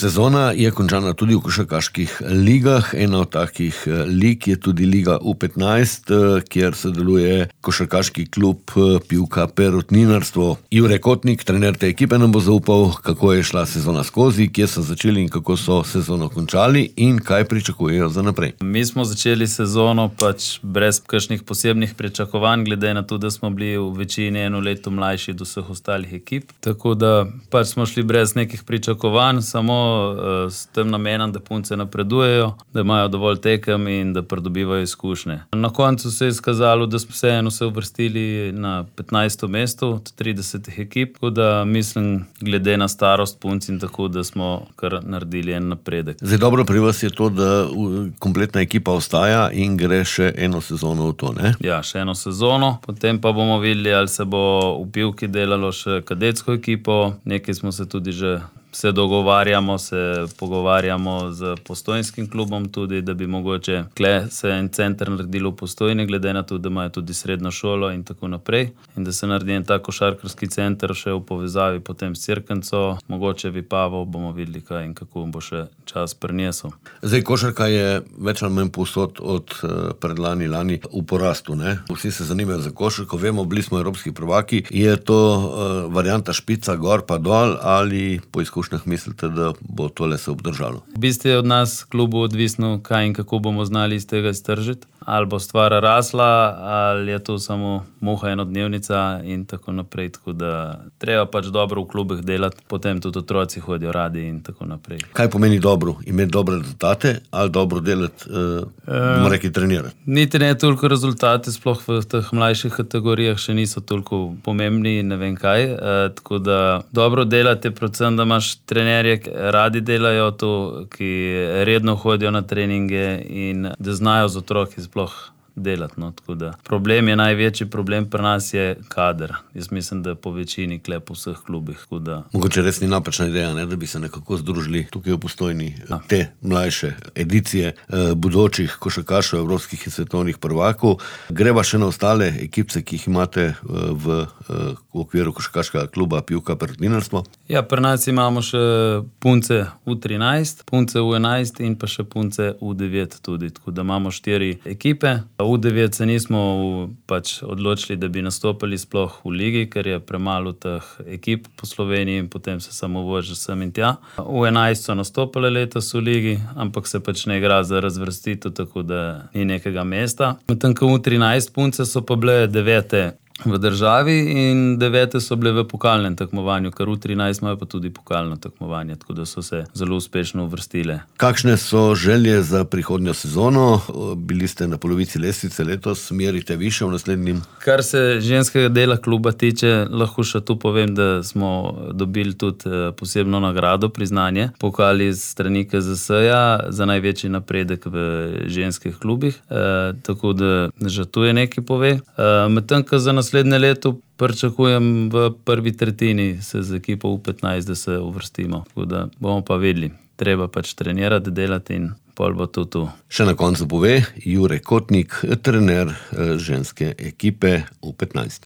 sezona je končana tudi v košarkaških ligah. Ena od takih lig je tudi Liga U15, kjer sodeluje košarkaški klub Pivka Perutninarstvo. Jure Kotnik, trener te ekipe, nam bo zaupal, kako je šla sezona skozi, kje so začeli in kako so sezono končali in kaj pričakujejo za naprej. Mi smo začeli sezono brez kakšnih posebnih pričakovanj, glede na to, da smo bili v večini eno leto mlajši od vseh ostalih ekip. Tako da smo šli brez nekih pričakovanj, samo s tem namenom, da punce napredujejo, da imajo dovolj tekem in da pridobivajo izkušnje. Na koncu se je izkazalo, da smo vseeno se uvrstili na 15. mesto od 30 ekip, tako da mislim, glede na starost punc in tako, da smo kar naredili en napredek. Zdaj dobro pri vas je to, da kompletna ekipa ostaja in gre še eno sezono v to, ne? Ja, še eno sezono, potem pa bomo videli, ali se bo v Pivki delalo še kadetsko ekipo. Nekaj smo se tudi že dogovarjamo, se pogovarjamo z Postojnskim klubom tudi, da bi mogoče se en center naredilo v Postojni, glede na to, da imajo tudi srednjo šolo in tako naprej. In da se naredi en tak košarkarski center še v povezavi potem s Cerknico, mogoče Vipavo, bomo videli kaj in kako bo še čas prinesel. Zdaj, košarka je več ali manj povsod od predlani lani v porastu, ne? Vsi se zanimajo za košarko, vemo, bili smo evropski prvaki. Je to varianta špica gor pa dol ali po izkušnjah mislite, da bo tole se obdržalo? V bistvu je od nas klubu odvisno, kaj in kako bomo znali iz tega iztržiti. Ali bo stvar rasla, ali je to samo muha enodnevnica in tako naprej. Tako da treba dobro v klubih delati, potem tudi otroci hodijo radi in tako naprej. Kaj pomeni dobro? Imeti dobre rezultate ali dobro delati, bomo rekli, trenirati? Niti ne toliko rezultate, sploh v teh mlajših kategorijah še niso toliko pomembni in ne vem kaj. Tako da dobro delati je predvsem, da imaš trenerje, radi delajo to, ki redno hodijo na treninge in da znajo z otroki sploh delati. No, tako da največji problem pri nas je kader. Jaz mislim, da po večini klep v vseh klubih. Mogoče res ni napačna ideja, ne, da bi se nekako združili tukaj v Postojni te mlajše edicije bodočih košarkašev, evropskih in svetovnih prvakov. Greva še na ostale ekipce, ki jih imate v okviru košarkaškega kluba Pivka Perutninarstvo. Ja, pri nas imamo še punce U13, punce U11 in pa še punce U9 tudi. Tako da imamo 4 ekipe. U9 se nismo odločili, da bi nastopili sploh v ligi, ker je premalo teh ekip po Sloveniji in potem se samo vozi sem in tja. U11 so nastopili letos v ligi, ampak se ne igra za razvrstitev, tako da ni nekega mesta. Medtem ko U13 punce so pa bile 9. v državi in 9. so bile v pokalnem tekmovanju, ker U13 imajo pa tudi pokalno tekmovanje, tako da so se zelo uspešno uvrstile. Kakšne so želje za prihodnjo sezono? Bili ste na polovici lestvice letos, merite više v naslednjem? Kar se ženskega dela kluba tiče, lahko še tu povem, da smo dobili tudi posebno nagrado, priznanje, pokal iz strani KZS-ja za največji napredek v ženskih klubih, tako da že tu je nekaj pove. Medtem, ko za naslednje leto pričakujem v prvi tretjini se z ekipo U15, da se uvrstimo. Tako da bomo pa vedeli. Treba trenirati, delati in pol bo to tu. Še na koncu pove Jure Kotnik, trener ženske ekipe U15.